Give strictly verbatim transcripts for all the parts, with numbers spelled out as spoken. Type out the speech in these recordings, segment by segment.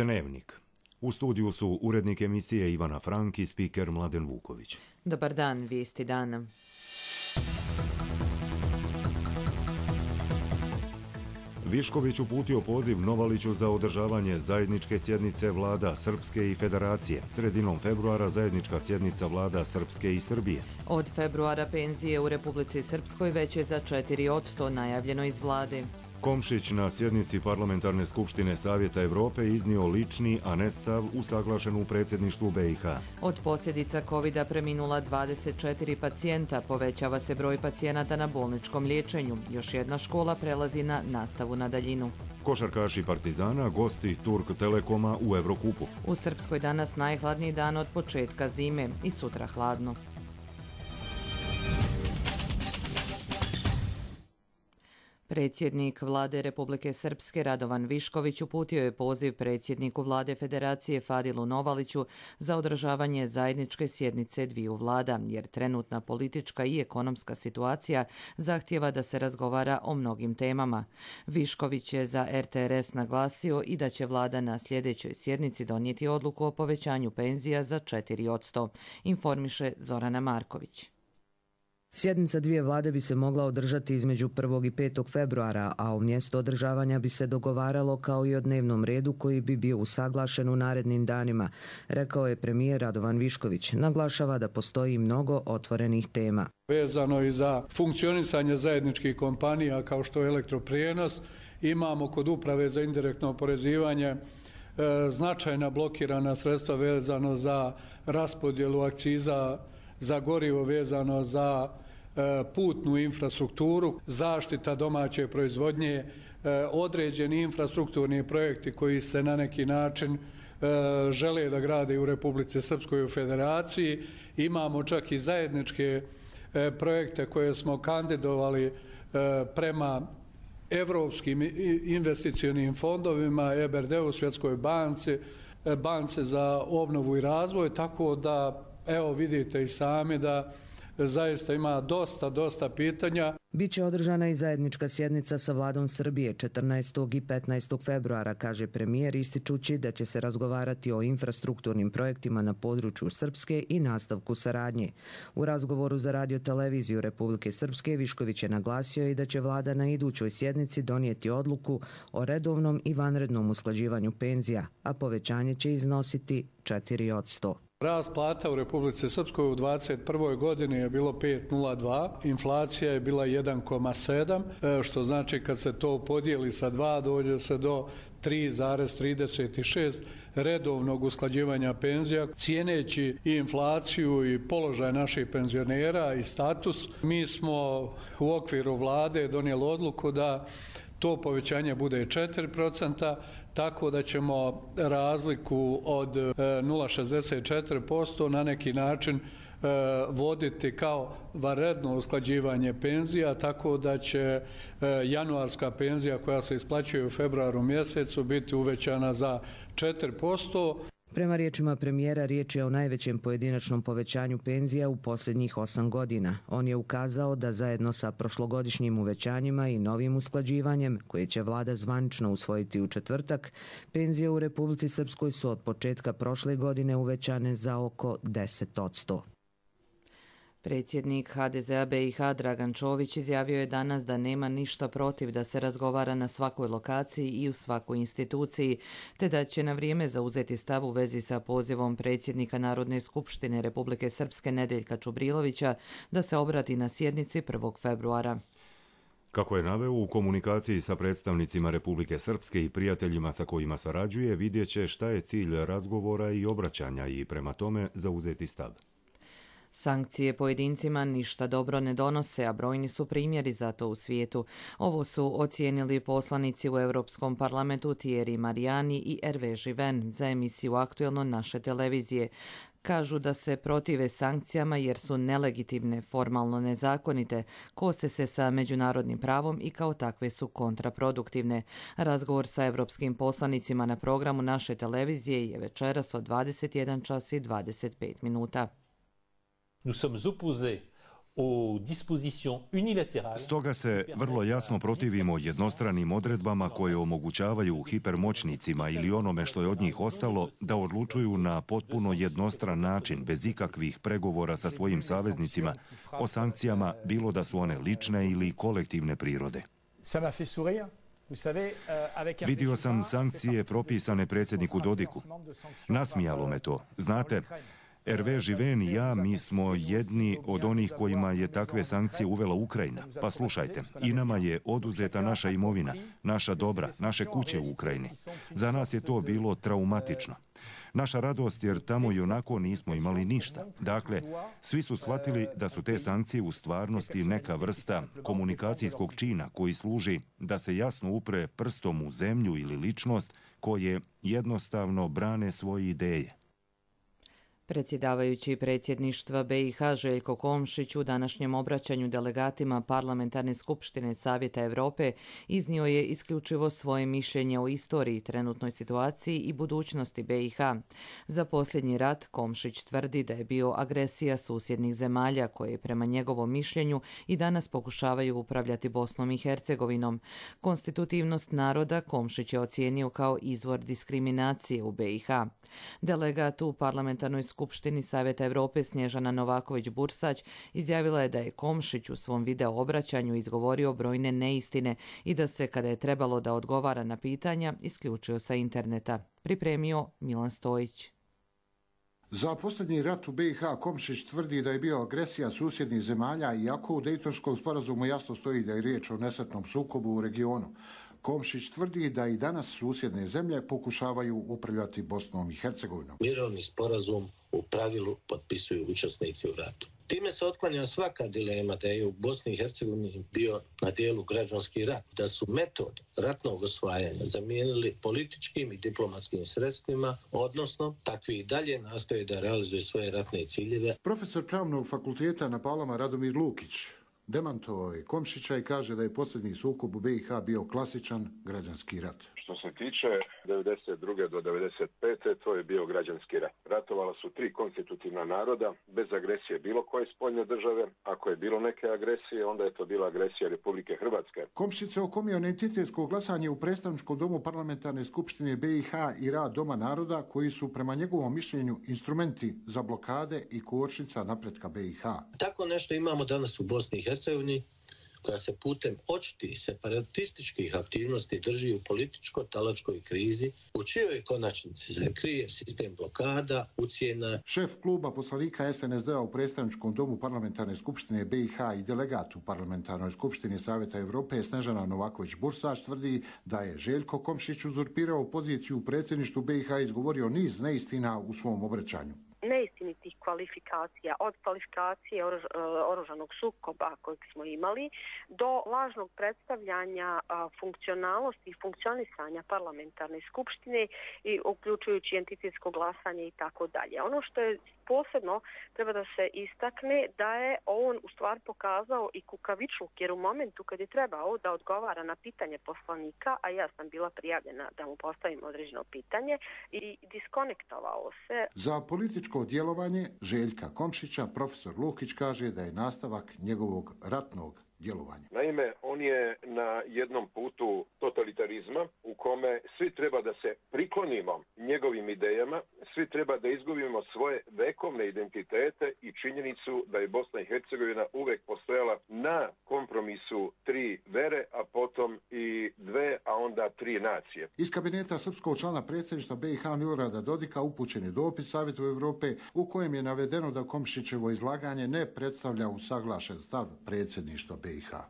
Dnevnik. U studiju su urednik emisije Ivana Frank i spiker Mladen Vuković. Dobar dan, vijesti dana. Višković uputio poziv Novaliću za održavanje zajedničke sjednice vlada Srpske i Federacije. Sredinom februara zajednička sjednica vlada Srpske i Srbije. Od februara penzije u Republici Srpskoj veće za četiri posto, najavljeno iz vlade. Komšić na sjednici Parlamentarne skupštine Savjeta Evrope iznio lični, a ne stav usaglašen u predsjedništvu B i H. Od posljedica kovida preminula dvadeset četiri pacijenta, povećava se broj pacijenata na bolničkom liječenju. Još jedna škola prelazi na nastavu na daljinu. Košarkaši Partizana gosti Turk Telekoma u Evrokupu. U Srpskoj danas najhladniji dan od početka zime i sutra hladno. Predsjednik vlade Republike Srpske Radovan Višković uputio je poziv predsjedniku vlade Federacije Fadilu Novaliću za održavanje zajedničke sjednice dviju vlada, jer trenutna politička i ekonomska situacija zahtijeva da se razgovara o mnogim temama. Višković je za R T R S naglasio i da će vlada na sljedećoj sjednici donijeti odluku o povećanju penzija za četiri posto, informiše Zorana Marković. Sjednica dvije vlade bi se mogla održati između prvog i petog februara, a u mjestu održavanja bi se dogovaralo kao i o dnevnom redu koji bi bio usaglašen u narednim danima, rekao je premijer Radovan Višković. Naglašava da postoji mnogo otvorenih tema. Vezano i za funkcionisanje zajedničkih kompanija kao što je elektroprijenos, imamo kod uprave za indirektno oporezivanje e, značajna blokirana sredstva vezano za raspodjelu akciza za gorivo, vezano za e, putnu infrastrukturu, zaštita domaće proizvodnje, e, određeni infrastrukturni projekti koji se na neki način e, žele da grade u Republici Srpskoj u Federaciji. Imamo čak i zajedničke e, projekte koje smo kandidovali e, prema evropskim investicionim fondovima, E B R D-u, Svjetskoj banci, e, banci za obnovu i razvoj, tako da evo vidite i sami da zaista ima dosta, dosta pitanja. Biće održana i zajednička sjednica sa vladom Srbije četrnaestog i petnaestog februara, kaže premijer, ističući da će se razgovarati o infrastrukturnim projektima na području Srpske i nastavku saradnje. U razgovoru za radio-televiziju Republike Srpske Višković je naglasio i da će vlada na idućoj sjednici donijeti odluku o redovnom i vanrednom usklađivanju penzija, a povećanje će iznositi četiri posto. Rast plata u Republici Srpskoj u dvadeset prvoj godini je bilo pet zarez nula dva, inflacija je bila jedan zarez sedam, što znači kad se to podijeli sa dva dođe se do tri zarez trideset šest redovnog usklađivanja penzija. Cijeneći i inflaciju i položaj naših penzionera i status, mi smo u okviru vlade donijeli odluku da to povećanje bude četiri posto, tako da ćemo razliku od nula zarez šezdeset četiri posto na neki način voditi kao vanredno usklađivanje penzija, tako da će januarska penzija koja se isplaćuje u februaru mjesecu biti uvećana za četiri posto. Prema riječima premijera, riječ je o najvećem pojedinačnom povećanju penzija u posljednjih osam godina. On je ukazao da zajedno sa prošlogodišnjim uvećanjima i novim usklađivanjem, koje će vlada zvanično usvojiti u četvrtak, penzije u Republici Srpskoj su od početka prošle godine uvećane za oko deset posto. Predsjednik H D Z-a B i H Dragan Čović izjavio je danas da nema ništa protiv da se razgovara na svakoj lokaciji i u svakoj instituciji, te da će na vrijeme zauzeti stav u vezi sa pozivom predsjednika Narodne skupštine Republike Srpske Nedeljka Čubrilovića da se obrati na sjednici prvog februara. Kako je naveo, u komunikaciji sa predstavnicima Republike Srpske i prijateljima sa kojima sarađuje, vidjet će šta je cilj razgovora i obraćanja i prema tome zauzeti stav. Sankcije pojedincima ništa dobro ne donose, a brojni su primjeri za to u svijetu. Ovo su ocijenili poslanici u Europskom parlamentu Thierry Mariani i Hervé Živen za emisiju Aktuelno naše televizije. Kažu da se protive sankcijama jer su nelegitimne, formalno nezakonite, kose se sa međunarodnim pravom i kao takve su kontraproduktivne. Razgovor sa europskim poslanicima na programu naše televizije je večeras od dvadeset jedan čas i dvadeset pet minuta. Nous sommes opposés Stoga se vrlo jasno protivimo jednostranim odredbama koje omogućavaju hipermoćnicima ili onome što je od njih ostalo da odlučuju na potpuno jednostran način, bez ikakvih pregovora sa svojim saveznicima, o sankcijama, bilo da su one lične ili kolektivne prirode. Vidio sam sankcije propisane predsjedniku Dodiku. Nasmijalo me to. Znate, Hervé Živen i ja, mi smo jedni od onih kojima je takve sankcije uvela Ukrajina. Pa slušajte, i nama je oduzeta naša imovina, naša dobra, naše kuće u Ukrajini. Za nas je to bilo traumatično. Naša radost jer tamo i onako nismo imali ništa. Dakle, svi su shvatili da su te sankcije u stvarnosti neka vrsta komunikacijskog čina koji služi da se jasno upre prstom u zemlju ili ličnost koje jednostavno brane svoje ideje. Predsjedavajući predsjedništva B i H Željko Komšić u današnjem obraćanju delegatima Parlamentarne skupštine Savjeta Europe iznio je isključivo svoje mišljenje o istoriji, trenutnoj situaciji i budućnosti B i H. Za posljednji rat Komšić tvrdi da je bio agresija susjednih zemalja koje prema njegovom mišljenju i danas pokušavaju upravljati Bosnom i Hercegovinom. Konstitutivnost naroda Komšić je ocijenio kao izvor diskriminacije u B i H. Delegat u Parlamentarnoj Skupštini Savjeta Europe Snježana Novaković-Bursać izjavila je da je Komšić u svom video obraćanju izgovorio brojne neistine i da se, kada je trebalo da odgovara na pitanja, isključio sa interneta. Pripremio Milan Stojić. Za posljednji rat u B i H Komšić tvrdi da je bio agresija susjednih zemalja, iako u Dejtonskom sporazumu jasno stoji da je riječ o nesretnom sukobu u regionu. Komšić tvrdi da i danas susjedne zemlje pokušavaju upravljati Bosnom i Hercegovinom. Mirovni sporazum u pravilu potpisuju učesnici u ratu. Time se otklanja svaka dilema da je u Bosni i Hercegovini bio na dijelu građanski rat, da su metod ratnog osvajanja zamijenili političkim i diplomatskim sredstvima, odnosno takvi i dalje nastoje da realizuju svoje ratne ciljeve. Profesor Pravnog fakulteta na Palama Radomir Lukić demantovao je Komšića i kaže da je posljednji sukob u B i H bio klasičan građanski rat. Što se tiče devedeset druge do devedeset pete to je bio građanski rat. Ratovala su tri konstitutivna naroda, bez agresije bilo koje spoljne države. Ako je bilo neke agresije, onda je to bila agresija Republike Hrvatske. Komšić se okomio na entitetsko glasanje u predstavničkom domu Parlamentarne skupštine B i H i rad Doma naroda, koji su prema njegovom mišljenju instrumenti za blokade i kočnica napretka B i H. Tako nešto imamo danas u Bosni i Hercegovini, koja se putem očitih separatističkih aktivnosti drži u političko-talačkoj krizi, u čijoj konačnici se krije sistem blokada, ucjena. Šef kluba poslanika S N S D-a u predstavničkom domu Parlamentarne skupštine B i H i delegat u Parlamentarnoj skupštini Savjeta Europe Snježana Novaković-Bursać tvrdi da je Željko Komšić uzurpirao poziciju u predsjedništvu B i H i izgovorio niz neistina u svom obraćanju. Neistinitih kvalifikacija, od kvalifikacije oruž, oružanog sukoba kojeg smo imali do lažnog predstavljanja a, funkcionalnosti i funkcionisanja parlamentarne skupštine i uključujući entitetsko glasanje i tako dalje. Ono što je posebno treba da se istakne da je on u stvari pokazao i kukavičluk, jer u momentu kad je trebao da odgovara na pitanje poslanika, a ja sam bila prijavljena da mu postavim određeno pitanje, i diskonektovao se. Za političko djelovanje Željka Komšića profesor Lukić kaže da je nastavak njegovog ratnog djelovanja. Naime, on je na jednom putu totalitarizma u kome svi treba da se priklonimo njegovim idejama, svi treba da izgubimo svoje vekovne identitete i činjenicu da je Bosna i Hercegovina uvek postojala na kompromisu tri vere, a potom i dve, a onda tri nacije. Iz kabineta srpskog člana predsjedništva B i H Milorada Dodika upućen je dopis Savjetu Europe u kojem je navedeno da Komšićevo izlaganje ne predstavlja usaglašen stav predsjedništva B i H.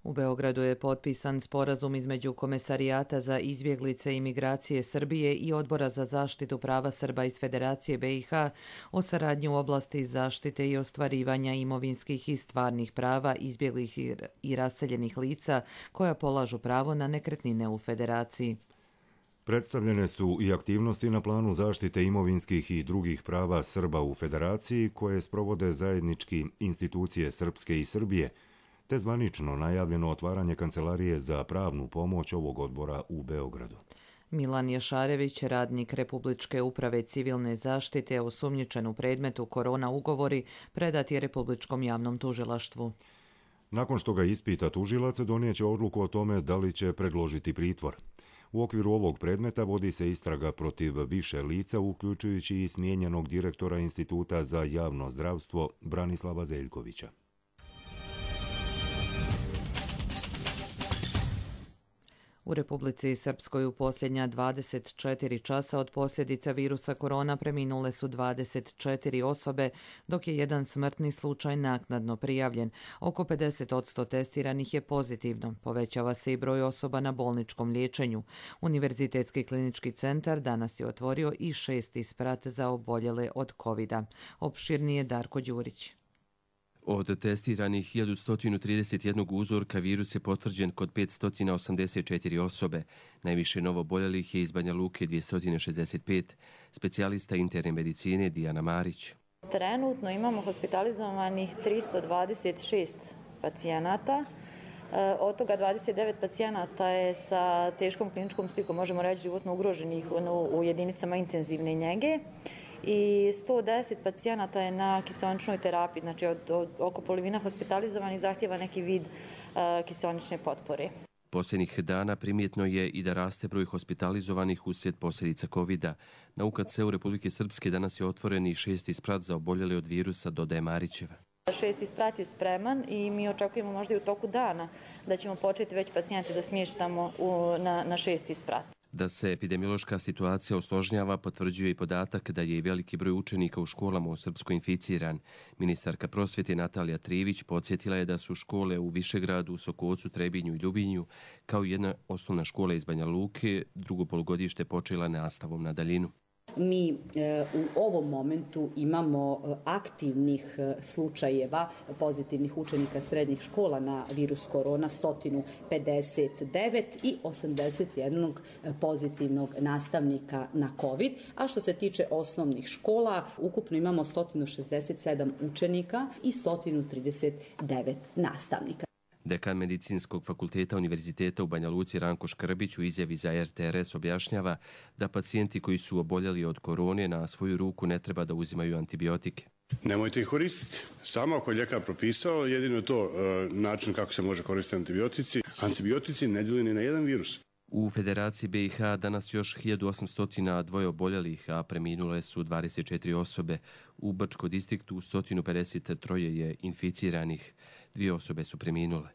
U Beogradu je potpisan sporazum između Komesarijata za izbjeglice i migracije Srbije i Odbora za zaštitu prava Srba iz Federacije B i H o saradnji u oblasti zaštite i ostvarivanja imovinskih i stvarnih prava izbjeglih i raseljenih lica koja polažu pravo na nekretnine u Federaciji. Predstavljene su i aktivnosti na planu zaštite imovinskih i drugih prava Srba u Federaciji koje sprovode zajednički institucije Srpske i Srbije, te zvanično najavljeno otvaranje Kancelarije za pravnu pomoć ovog odbora u Beogradu. Milan Jašarević, radnik Republičke uprave civilne zaštite, osumnjičen u predmetu korona ugovori, predat je Republičkom javnom tužilaštvu. Nakon što ga ispita tužilac, donijeće odluku o tome da li će predložiti pritvor. U okviru ovog predmeta vodi se istraga protiv više lica, uključujući i smijenjenog direktora Instituta za javno zdravstvo Branislava Zeljkovića. U Republici Srpskoj u posljednja dvadeset četiri časa od posljedica virusa korona preminule su dvadeset četiri osobe, dok je jedan smrtni slučaj naknadno prijavljen. Oko pedeset posto testiranih je pozitivno. Povećava se i broj osoba na bolničkom liječenju. Univerzitetski klinički centar danas je otvorio i šesti sprat za oboljele od kovida. Opširnije Darko Đurić. Od testiranih hiljadu sto trideset jedan uzorka virus je potvrđen kod petsto osamdeset četiri osobe. Najviše novoboljelih je iz Banja Luke dvjesto šezdeset pet. Specijalista interne medicine Dijana Marić. Trenutno imamo hospitalizovanih tristo dvadeset šest pacijenata. Od toga dvadeset devet pacijenata je sa teškom kliničkom slikom, možemo reći životno ugroženih u jedinicama intenzivne njege. I sto deset pacijenata je na kiseoničnoj terapiji, znači od, od oko polovina hospitalizovanih zahtjeva neki vid uh, kiseonične potpore. Posljednjih dana primjetno je i da raste broj hospitalizovanih uslijed posljedica kovida. Na U K C-u Republike Srpske danas je otvoren i šesti sprat za oboljele od virusa, dodaje Marićeva. Šesti sprat je spreman i mi očekujemo možda i u toku dana da ćemo početi već pacijente da smještamo u, na, na šesti sprat. Da se epidemiološka situacija osložnjava potvrđuje i podatak da je i veliki broj učenika u školama u Srpskoj inficiran. Ministarka prosvjete Natalija Trivić podsjetila je da su škole u Višegradu, Sokocu, Trebinju i Ljubinju, kao i jedna osnovna škola iz Banja Luke, drugo polugodište počela nastavom na daljinu. Mi e, u ovom momentu imamo aktivnih slučajeva pozitivnih učenika srednjih škola na virus korona sto pedeset devet i osamdeset jedan pozitivnog nastavnika na COVID. A što se tiče osnovnih škola, ukupno imamo sto šezdeset sedam učenika i sto trideset devet nastavnika. Dekan Medicinskog fakulteta Univerziteta u Banja Luci Ranko Škrbić u izjavi za R T R S objašnjava da pacijenti koji su oboljeli od korone na svoju ruku ne treba da uzimaju antibiotike. Nemojte ih koristiti. Samo ako je ljekar propisao, jedino je to e, način kako se može koristiti antibiotici. Antibiotici ne djeluju ni na jedan virus. U Federaciji B i H danas još hiljadu osamsto dva oboljelih, a preminule su dvadeset četiri osobe. U Brčkom distriktu sto pedeset tri je inficiranih. Dvije osobe su preminule.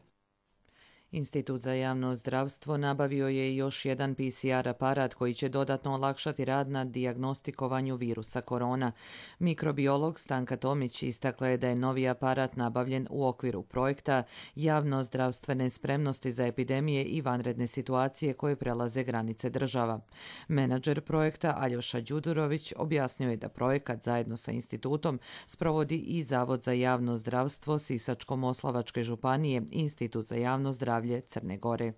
Institut za javno zdravstvo nabavio je još jedan P C R aparat koji će dodatno olakšati rad na dijagnostikovanju virusa korona. Mikrobiolog Stanka Tomić istakla je da je novi aparat nabavljen u okviru projekta javno zdravstvene spremnosti za epidemije i vanredne situacije koje prelaze granice država. Menadžer projekta Aljoša Đudurović objasnio je da projekat zajedno sa institutom sprovodi i Zavod za javno zdravstvo Sisačko-moslavačke županije i Institut za javno zdravlje Crne Gore.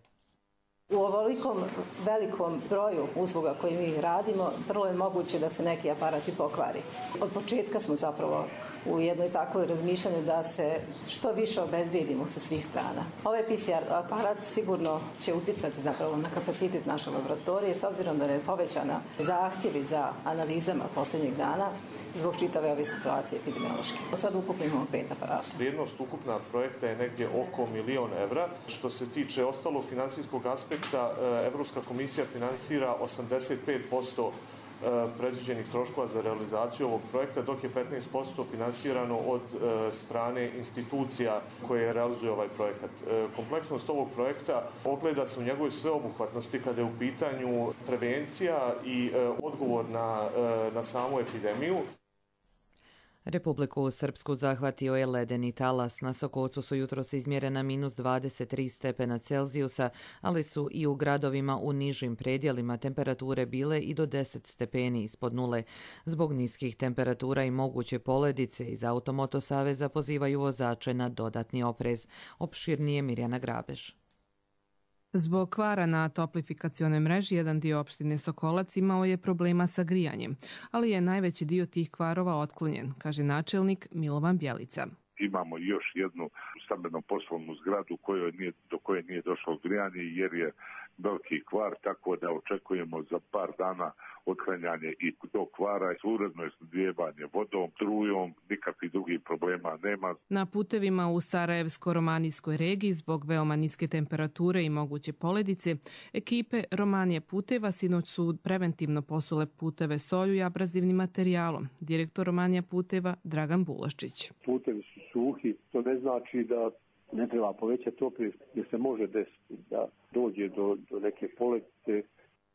U ovolikom velikom broju usluga koje mi radimo, prvo je moguće da se neki aparati pokvari. Od početka smo zapravo u jednoj takvoj razmišljanju da se što više obezbijedimo sa svih strana. Ovaj P C R aparat sigurno će uticati zapravo na kapacitet naše laboratorije, s obzirom da je povećana zahtjevi za analizama posljednjeg dana zbog čitave ove situacije epidemiološke. Sad ukupno imamo pet aparata. Vrijednost ukupna projekta je negdje oko milion evra. Što se tiče ostalog financijskog aspekta, Evropska komisija finansira osamdeset pet posto predviđenih troškova za realizaciju ovog projekta, dok je petnaest posto finansirano od strane institucija koje realizuju ovaj projekat. Kompleksnost ovog projekta ogleda se u njegovoj sveobuhvatnosti kada je u pitanju prevencija i odgovor na, na samu epidemiju. Republiku Srpsku zahvatio je ledeni talas. Na Sokocu su jutros izmjerena minus dvadeset tri stepena Celzijusa, ali su i u gradovima u nižim predjelima temperature bile i do deset stepeni ispod nule. Zbog niskih temperatura i moguće poledice iz Automoto saveza pozivaju vozače na dodatni oprez. Opširnije Mirjana Grabež. Zbog kvara na toplifikacionoj mreži jedan dio opštine Sokolac imao je problema sa grijanjem, ali je najveći dio tih kvarova otklonjen, kaže načelnik Milovan Bjelica. Imamo još jednu stambeno poslovnu zgradu kojoj nije, do koje nije došlo grijanje jer je veliki kvar, tako da očekujemo za par dana otklanjanje i tog kvara, uredno je snabdijevanje vodom, strujom, nikakvih drugih problema nema. Na putevima u Sarajevsko-romanijskoj regiji zbog veoma niske temperature i moguće poledice, ekipe Romanije puteva sinoć su preventivno posule puteve solju i abrazivnim materijalom. Direktor Romanija puteva Dragan Bulaščić. Putevi su suhi, to ne znači da ne treba povećati opet, jer se može desiti da dođe do, do neke poledice.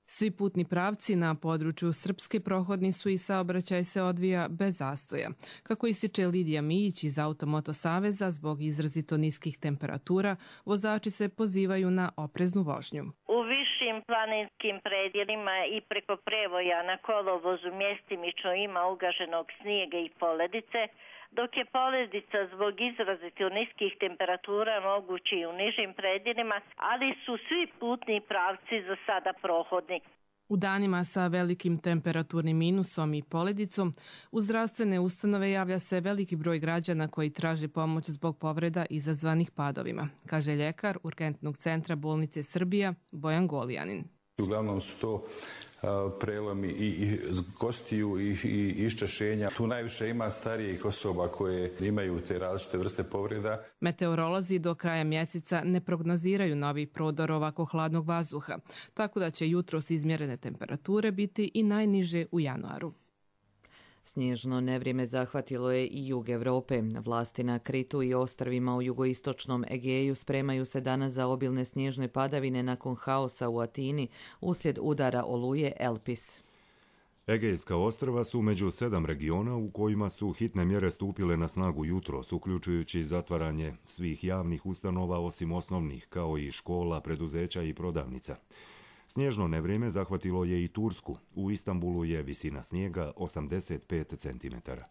Svi putni pravci na području Srpske prohodni su i saobraćaj se odvija bez zastoja. Kako ističe Lidija Mijić iz Automoto saveza, zbog izrazito niskih temperatura, vozači se pozivaju na opreznu vožnju. U višim planinskim predjelima i preko prevoja na kolovozu mjestimično ima ugaženog snijega i poledice, dok je poledica zbog izrazito niskih temperatura mogući i u nižim predjelima, ali su svi putni pravci za sada prohodni. U danima sa velikim temperaturnim minusom i poledicom, u zdravstvene ustanove javlja se veliki broj građana koji traže pomoć zbog povreda izazvanih padovima, kaže ljekar Urgentnog centra bolnice Srbija Bojan Golijanin. Uglavnom su to prelomi i, i kostiju i, i iščašenja. Tu najviše ima starijih osoba koje imaju te različite vrste povreda. Meteorolozi do kraja mjeseca ne prognoziraju novi prodor ovako hladnog vazduha, tako da će jutros izmjerene temperature biti i najniže u januaru. Snježno nevrijeme zahvatilo je i jug Europe. Vlasti na Kritu i ostrvima u jugoistočnom Egeju spremaju se danas za obilne snježne padavine nakon haosa u Atini uslijed udara oluje Elpis. Egejska ostrva su među sedam regiona u kojima su hitne mjere stupile na snagu jutros, uključujući zatvaranje svih javnih ustanova osim osnovnih, kao i škola, preduzeća i prodavnica. Snježno nevrijeme zahvatilo je i Tursku. U Istanbulu je visina snijega osamdeset pet centimetara.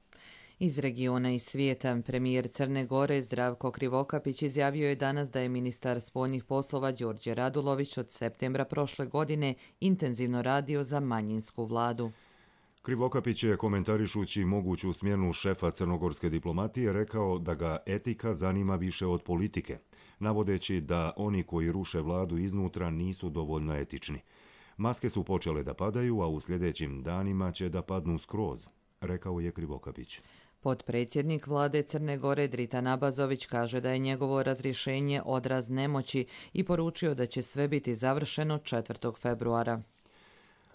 Iz regiona i svijeta, premijer Crne Gore Zdravko Krivokapić izjavio je danas da je ministar spoljnih poslova Đorđe Radulović od septembra prošle godine intenzivno radio za manjinsku vladu. Krivokapić je, komentarišući moguću smjenu šefa crnogorske diplomatije, rekao da ga etika zanima više od politike, navodeći da oni koji ruše vladu iznutra nisu dovoljno etični. Maske su počele da padaju, a u sljedećim danima će da padnu skroz, rekao je Krivokapić. Potpredsjednik vlade Crne Gore Dritan Abazović kaže da je njegovo razrješenje odraz nemoći i poručio da će sve biti završeno četvrtog februara.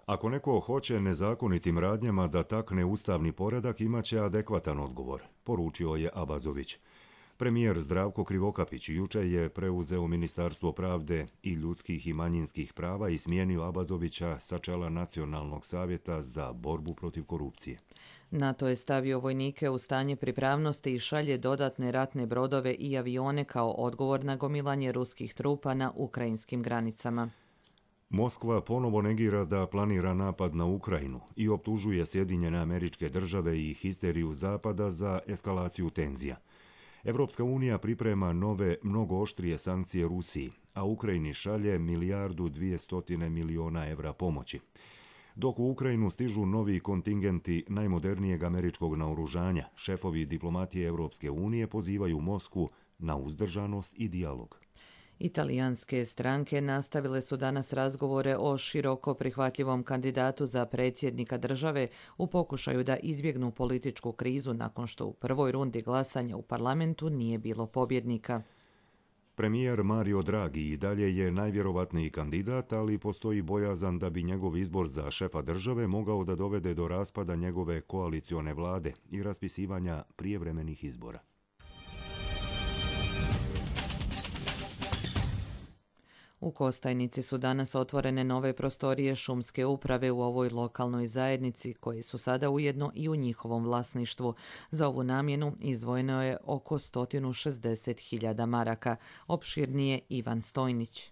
Ako neko hoće nezakonitim radnjama da takne ustavni poredak, imaće adekvatan odgovor, poručio je Abazović. Premijer Zdravko Krivokapić juče je preuzeo Ministarstvo pravde i ljudskih i manjinskih prava i smijenio Abazovića sa čela Nacionalnog savjeta za borbu protiv korupcije. NATO je stavio vojnike u stanje pripravnosti i šalje dodatne ratne brodove i avione kao odgovor na gomilanje ruskih trupa na ukrajinskim granicama. Moskva ponovo negira da planira napad na Ukrajinu i optužuje Sjedinjene Američke Države i histeriju Zapada za eskalaciju tenzija. Evropska unija priprema nove, mnogo oštrije sankcije Rusiji, a Ukrajini šalje milijardu dvijestotine miliona evra pomoći. Dok u Ukrajinu stižu novi kontingenti najmodernijeg američkog naoružanja, šefovi diplomatije Evropske unije pozivaju Moskvu na uzdržanost i dijalog. Italijanske stranke nastavile su danas razgovore o široko prihvatljivom kandidatu za predsjednika države u pokušaju da izbjegnu političku krizu nakon što u prvoj rundi glasanja u parlamentu nije bilo pobjednika. Premijer Mario Draghi i dalje je najvjerovatniji kandidat, ali postoji bojazan da bi njegov izbor za šefa države mogao da dovede do raspada njegove koalicione vlade i raspisivanja prijevremenih izbora. U Kostajnici su danas otvorene nove prostorije šumske uprave u ovoj lokalnoj zajednici, koji su sada ujedno i u njihovom vlasništvu. Za ovu namjenu izdvojeno je oko sto šezdeset hiljada maraka. Opširnije Ivan Stojnić.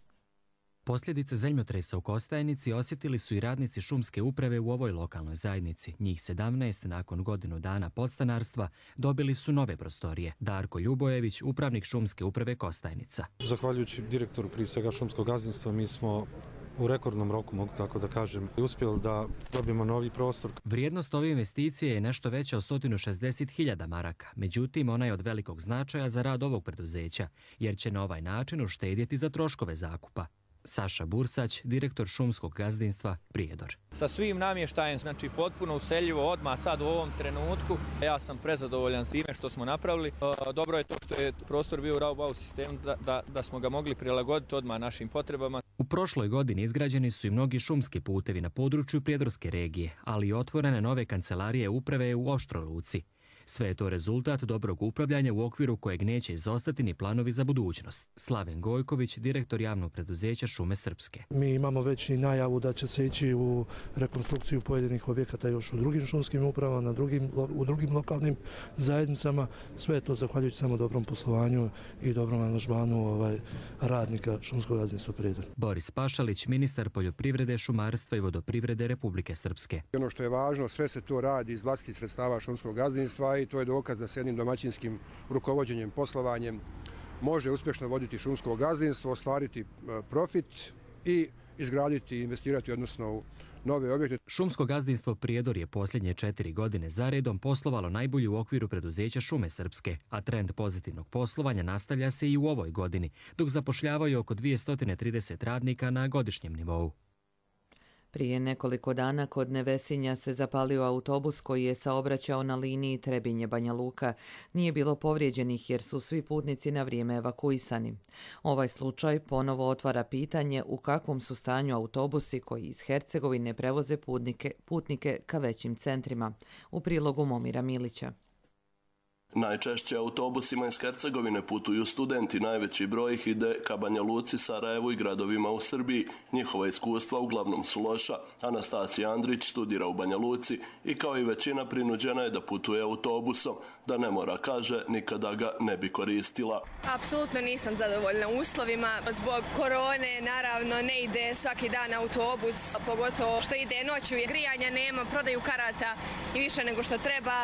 Posljedice zemljotresa u Kostajnici osjetili su i radnici šumske uprave u ovoj lokalnoj zajednici. Njih sedamnaest nakon godinu dana podstanarstva dobili su nove prostorije. Darko Ljubojević, upravnik šumske uprave Kostajnica. Zahvaljujući direktoru prije svega šumskog gazdinstva, mi smo u rekordnom roku, mogu tako da kažem, uspjeli da dobijemo novi prostor. Vrijednost ove investicije je nešto veća od sto šezdeset hiljada maraka. Međutim, ona je od velikog značaja za rad ovog preduzeća, jer će na ovaj način uštedjeti za troškove zakupa. Saša Bursać, direktor šumskog gazdinstva Prijedor. Sa svim namještajem, znači potpuno useljivo odmah sad u ovom trenutku. Ja sam prezadovoljan s time što smo napravili. Dobro je to što je prostor bio u Raubau sistemu da, da, da smo ga mogli prilagoditi odmah našim potrebama. U prošloj godini izgrađeni su i mnogi šumski putevi na području Prijedorske regije, ali i otvorene nove kancelarije uprave u Oštroj Luci. Sve je to rezultat dobrog upravljanja u okviru kojeg neće izostati ni planovi za budućnost. Slaven Gojković, direktor javnog preduzeća Šume Srpske. Mi imamo već i najavu da će se ići u rekonstrukciju pojedinih objekata još u drugim šumskim upravama, na drugim, u drugim lokalnim zajednicama. Sve je to zahvaljujući samo dobrom poslovanju i dobrom angažmanu ovaj, radnika šumskog gazdinstva Prijedor. Boris Pašalić, ministar poljoprivrede, šumarstva i vodoprivrede Republike Srpske. Ono što je važno, sve se to radi iz vlastitih sredstava šumskog gazdinstva i to je dokaz da se jednim domaćinskim rukovođenjem, poslovanjem može uspješno voditi šumsko gazdinstvo, ostvariti profit i izgraditi i investirati odnosno u nove objekte. Šumsko gazdinstvo Prijedor je posljednje četiri godine zaredom poslovalo najbolje u okviru preduzeća Šume Srpske, a trend pozitivnog poslovanja nastavlja se i u ovoj godini, dok zapošljavaju oko dvjesto trideset radnika na godišnjem nivou. Prije nekoliko dana kod Nevesinja se zapalio autobus koji je saobraćao na liniji Trebinje-Banja Luka. Nije bilo povrijeđenih jer su svi putnici na vrijeme evakuisani. Ovaj slučaj ponovo otvara pitanje u kakvom su stanju autobusi koji iz Hercegovine prevoze putnike, putnike ka većim centrima. U prilogu Momira Milića. Najčešće autobusima iz Hercegovine putuju studenti, najveći broj ih ide ka Banja Luci, Sarajevu i gradovima u Srbiji. Njihova iskustva uglavnom su loša. Anastasija Andrić studira u Banja Luci i kao i većina prinuđena je da putuje autobusom. Da ne mora, kaže, nikada ga ne bi koristila. Apsolutno nisam zadovoljna uslovima. Zbog korone, naravno, ne ide svaki dan autobus, pogotovo što ide noću. Grijanja nema, prodaju karata i više nego što treba.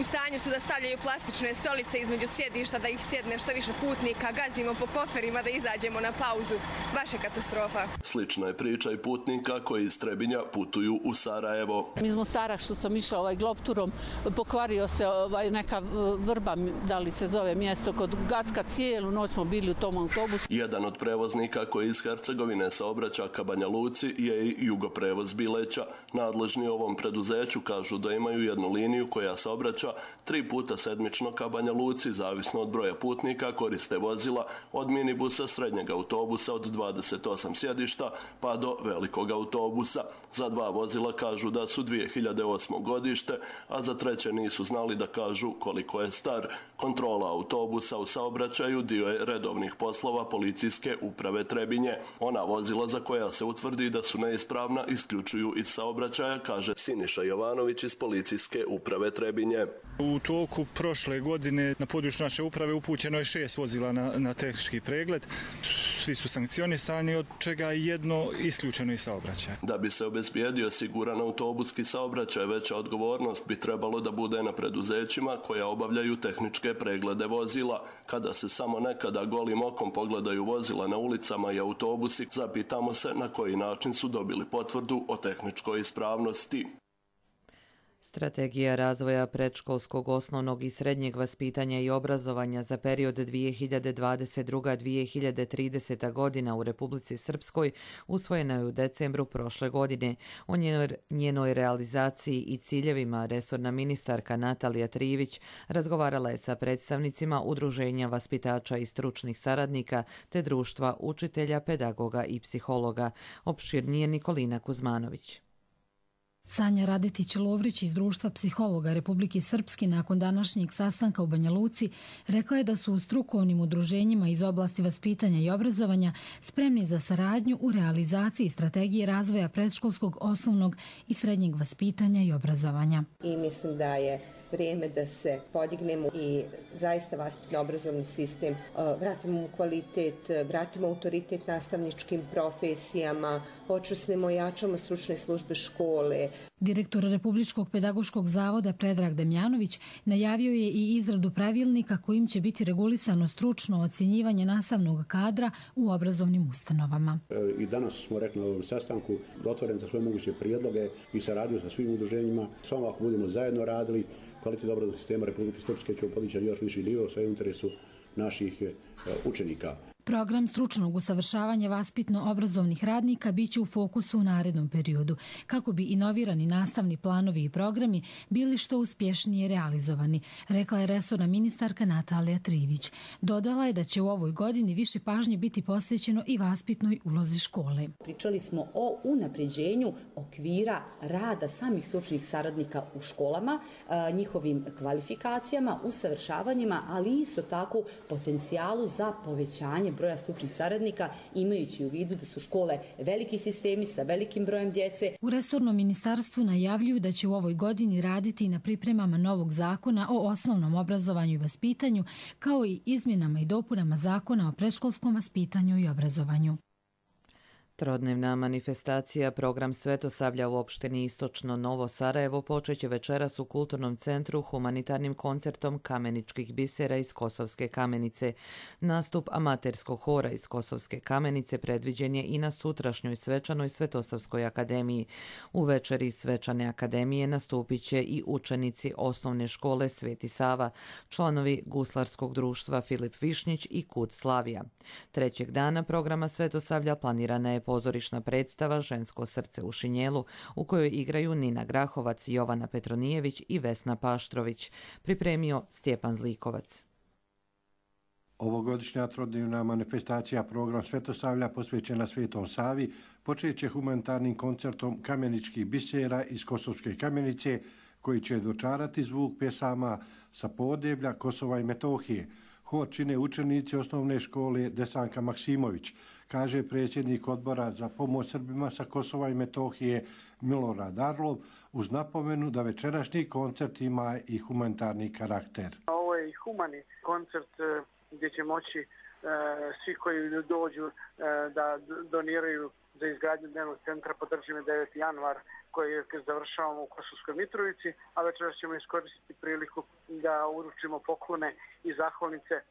U stanju su da stavljaju plastične stolice između sjedišta, da ih sjedne što više putnika, gazimo po koferima da izađemo na pauzu. Baš je katastrofa. Slična je priča i putnika koji iz Trebinja putuju u Sarajevo. Mi smo Mostara što sam išla ovaj globturom, pokvario se ovaj neka vrba, da li se zove mjesto, kod Gacka, cijelu noć smo bili u tom autobusu. Jedan od prevoznika koji iz Hercegovine saobraća ka Banja Luci je i Jugoprevoz Bileća. Nadležni ovom preduzeću kažu da imaju jednu liniju koja saobraća tri puta sedmično ka Banja Luci, zavisno od broja putnika, koriste vozila od minibusa, srednjeg autobusa od dvadeset osam sjedišta pa do velikog autobusa. Za dva vozila kažu da su dvije hiljade osmo godište, a za treće nisu znali da kažu koliko je star. Kontrola autobusa u saobraćaju dio je redovnih poslova policijske uprave Trebinje. Ona vozila za koja se utvrdi da su neispravna isključuju iz saobraćaja, kaže Siniša Jovanović iz policijske uprave Trebinje. U toku prošle godine na području naše uprave upućeno je šest vozila na, na tehnički pregled. Svi su sankcionisani, od čega je jedno isključeno iz saobraćaja. Da bi se obezbijedio siguran autobuski saobraćaj, veća odgovornost bi trebalo da bude na preduzećima koja obavljaju tehničke preglede vozila. Kada se samo nekada golim okom pogledaju vozila na ulicama i autobusi, zapitamo se na koji način su dobili potvrdu o tehničkoj ispravnosti. Strategija razvoja predškolskog, osnovnog i srednjeg vaspitanja i obrazovanja za period dvije hiljade dvadeset druga do dvije hiljade trideseta godina u Republici Srpskoj usvojena je u decembru prošle godine. O njenoj realizaciji i ciljevima resorna ministarka Natalija Trivić razgovarala je sa predstavnicima Udruženja vaspitača i stručnih saradnika te društva učitelja, pedagoga i psihologa. Opširnije Nikolina Kuzmanović. Sanja Radetić-Lovrić iz Društva psihologa Republike Srpske nakon današnjeg sastanka u Banja Luci rekla je da su u strukovnim udruženjima iz oblasti vaspitanja i obrazovanja spremni za saradnju u realizaciji strategije razvoja predškolskog, osnovnog i srednjeg vaspitanja i obrazovanja. I mislim da je vrijeme da se podignemo i zaista vaspitno-obrazovni sistem vratimo u kvalitet, vratimo autoritet nastavničkim profesijama, počvrstimo i jačamo stručne službe škole. Direktor Republičkog pedagoškog zavoda Predrag Demjanović najavio je i izradu pravilnika kojim će biti regulisano stručno ocjenjivanje nastavnog kadra u obrazovnim ustanovama. I danas smo rekli na ovom sastanku otvoren za sve moguće prijedloge i saradnju sa svim udruženjima. Samo ako budemo zajedno radili, kvalitet obrazovnog sistema Republike Srpske će podići još viši nivo, sve u interesu naših učenika. Program stručnog usavršavanja vaspitno-obrazovnih radnika biće u fokusu u narednom periodu, kako bi inovirani nastavni planovi i programi bili što uspješnije realizovani, rekla je resorna ministarka Natalija Trivić. Dodala je da će u ovoj godini više pažnje biti posvećeno i vaspitnoj ulozi škole. Pričali smo o unapređenju okvira rada samih stručnih saradnika u školama, njihovim kvalifikacijama, usavršavanjima, ali isto tako potencijalu za povećanje broja stručnih saradnika, imajući u vidu da su škole veliki sistemi sa velikim brojem djece. U resornom ministarstvu najavljuju da će u ovoj godini raditi na pripremama novog zakona o osnovnom obrazovanju i vaspitanju, kao i izmjenama i dopunama zakona o predškolskom vaspitanju i obrazovanju. Trodnevna manifestacija Program Svetosavlja u opštini Istočno Novo Sarajevo počeće večeras u Kulturnom centru humanitarnim koncertom kameničkih bisera iz Kosovske Kamenice. Nastup amaterskog hora iz Kosovske Kamenice predviđen je i na sutrašnjoj svečanoj Svetosavskoj akademiji. U večeri svečane akademije nastupit će i učenici osnovne škole Sveti Sava, članovi guslarskog društva Filip Višnjić i Kud Slavija. Trećeg dana programa Svetosavlja planirana je pozorišna predstava Žensko srce u šinjelu, u kojoj igraju Nina Grahovac, Jovana Petronijević i Vesna Paštrović. Pripremio Stjepan Zlikovac. Ovogodišnja trodnevna manifestacija Program Svetosavlja posvećena Svetom Savi počeće humanitarnim koncertom kameničkih bisera iz Kosovske Kamenice, koji će dočarati zvuk pjesama sa podeblja Kosova i Metohije. Hor čine učenici osnovne škole Desanka Maksimović, kaže predsjednik odbora za pomoć Srbima sa Kosova i Metohije Milorad Arlov, uz napomenu da večerašnji koncert ima i humanitarni karakter. Ovo je i humani koncert gdje će moći e, svi koji dođu e, da doniraju za izgradnju dnevnog centra. Podržimo deveti januar koji završavamo u Kosovskoj Mitrovici, a večeras ćemo iskoristiti priliku da uručimo poklone i zahvalnice e,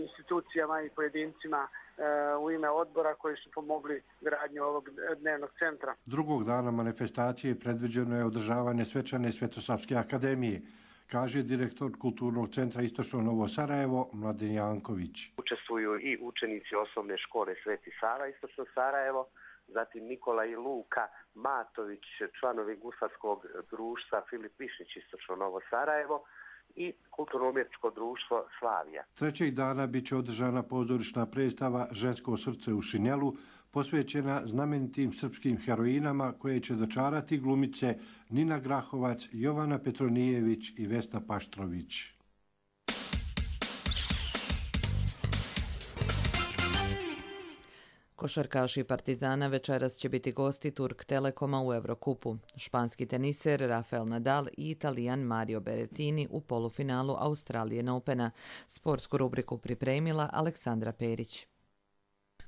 institucijama i pojedincima e, u ime odbora koji su pomogli gradnju ovog dnevnog centra. Drugog dana manifestacije predviđeno je održavanje svečane Svetosavske akademije, kaže direktor Kulturnog centra Istočno Novo Sarajevo Mladen Janković. Učestvuju i učenici osnovne škole Sveti Sava Istočno Sarajevo, zatim Nikola i Luka Matović, članovi guslarskog društva Filip Višnjić Istočno Novo Sarajevo i Kulturno-umjetničko društvo Slavija. Trećeg dana bit će održana pozorišna predstava Žensko srce u šinjelu, posvećena znamenitim srpskim heroinama koje će dočarati glumice Nina Grahovac, Jovana Petronijević i Vesna Paštrović. Košarkaši Partizana večeras će biti gosti Turk Telekoma u Eurokupu. Španski teniser Rafael Nadal i Italijan Mario Berrettini u polufinalu Australian Opena. Sportsku rubriku pripremila Aleksandra Perić.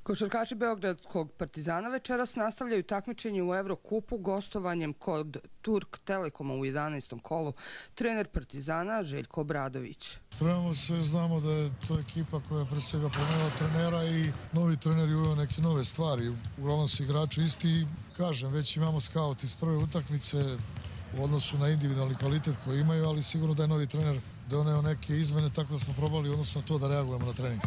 Košarkaši Beogradskog Partizana večeras nastavljaju takmičenje u Eurokupu gostovanjem kod Turk Telekoma u jedanaestom kolu. Trener Partizana Željko Obradović. Spremamo se, znamo da je to ekipa koja je pre svega promenila trenera i novi trener je uveo neke nove stvari. Uglavnom su igrači isti i kažem, već imamo skaut iz prve utakmice u odnosu na individualni kvalitet koji imaju, ali sigurno da je novi trener doneo neke izmene, tako da smo probali odnosno na to da reagujemo na trening.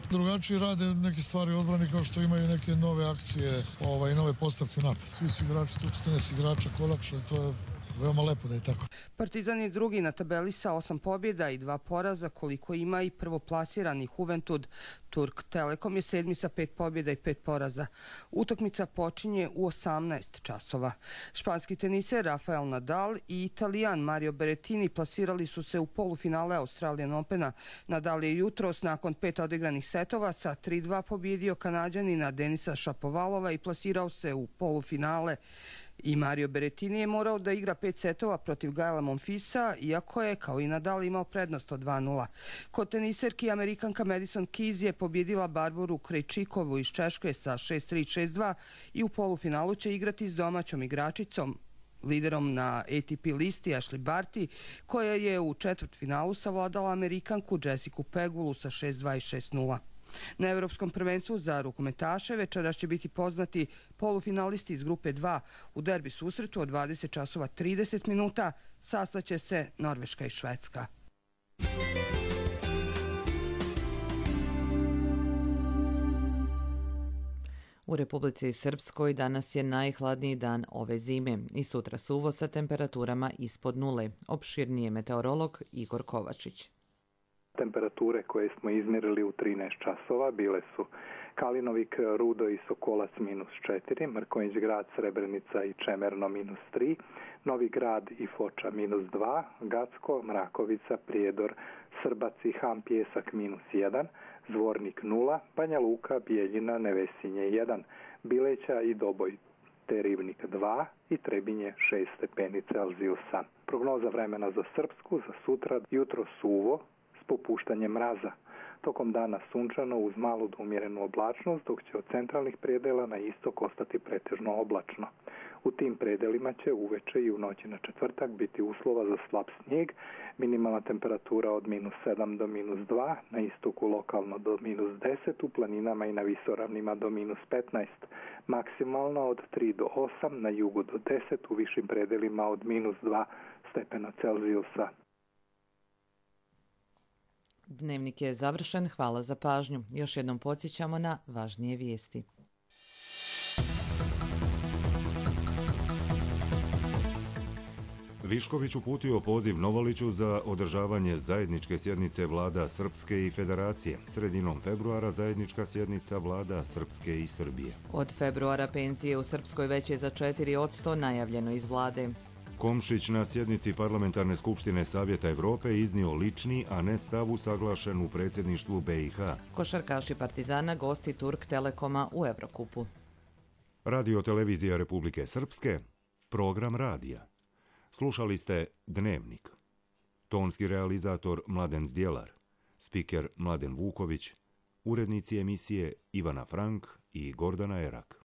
Drugačiji rade neke stvari u odbrani kao što imaju neke nove akcije ovaj, nove postavke u napad. Svi su igrači, tu četrnaest igrača kolapšali, to je veoma lepo da je tako. Partizan je drugi na tabeli sa osam pobjeda i dva poraza, koliko ima i prvoplasirani Juventud. Turk Telekom je sedmi sa pet pobjeda i pet poraza. Utakmica počinje u osamnaest časova. Španski teniser Rafael Nadal i Italijan Mario Berrettini plasirali su se u polufinale Australian Opena. Nadal je jutros nakon pet odigranih setova sa tri dva pobjedio Kanađanina Denisa Šapovalova i plasirao se u polufinale. I Mario Berrettini je morao da igra pet setova protiv Gaela Monfilsa, iako je, kao i Nadal, imao prednost od dva nula. Kod teniserki Amerikanka Madison Keys je pobjedila Barboru Krejčikovu iz Češke sa šest tri šest dva i u polufinalu će igrati s domaćom igračicom, liderom na A T P listi Ashley Barty, koja je u četvrtfinalu savladala Amerikanku Jessicu Pegulu sa šest dva i šest nula. Na Evropskom prvenstvu za rukometaše večeras će biti poznati polufinalisti iz grupe dva. U derbi susretu od dvadeset časova trideset minuta sastaće se Norveška i Švedska. U Republici Srpskoj danas je najhladniji dan ove zime i sutra suvo sa temperaturama ispod nule. Opširnije meteorolog Igor Kovačić. Temperature koje smo izmjerili u trinaest časova bile su Kalinovik, Rudo i Sokolac minus četiri, Mrkonjić grad, Srebrenica i Čemerno minus tri, Novi grad i Foča minus dva, Gacko, Mrakovica, Prijedor, Srbac i Ham Pjesak minus jedan, Zvornik nula, Banja Luka, Bijeljina, Nevesinje jedan, Bileća i Doboj te Rivnik dva i Trebinje šest stepeni Celzijusa. Prognoza vremena za Srpsku za sutra: jutro suvo s popuštanjem mraza. Tokom dana sunčano uz malu do umjerenu oblačnost, dok će od centralnih predela na istok ostati pretežno oblačno. U tim predelima će uveče i u noći na četvrtak biti uslova za slab snijeg, minimalna temperatura od minus sedam do minus dva, na istoku lokalno do minus deset, u planinama i na visoravnima do minus petnaest, maksimalno od tri do osam, na jugu do deset, u višim predelima od minus dva stepena Celzijusa. Dnevnik je završen, hvala za pažnju. Još jednom podsjećamo na važnije vijesti. Višković uputio poziv Novoliću za održavanje zajedničke sjednice vlada Srpske i Federacije. Sredinom februara zajednička sjednica vlada Srpske i Srbije. Od februara penzije u Srpskoj veće za četiri posto najavljeno iz vlade. Komšić na sjednici Parlamentarne skupštine Savjeta Evrope iznio lični, a ne stav usaglašen u predsjedništvu B i H. Košarkaši Partizana gosti Turk Telekoma u Evrokupu. Radio televizija Republike Srpske, program radija. Slušali ste Dnevnik. Tonski realizator Mladen Zdjelar, spiker Mladen Vuković, urednici emisije Ivana Frank i Gordana Erak.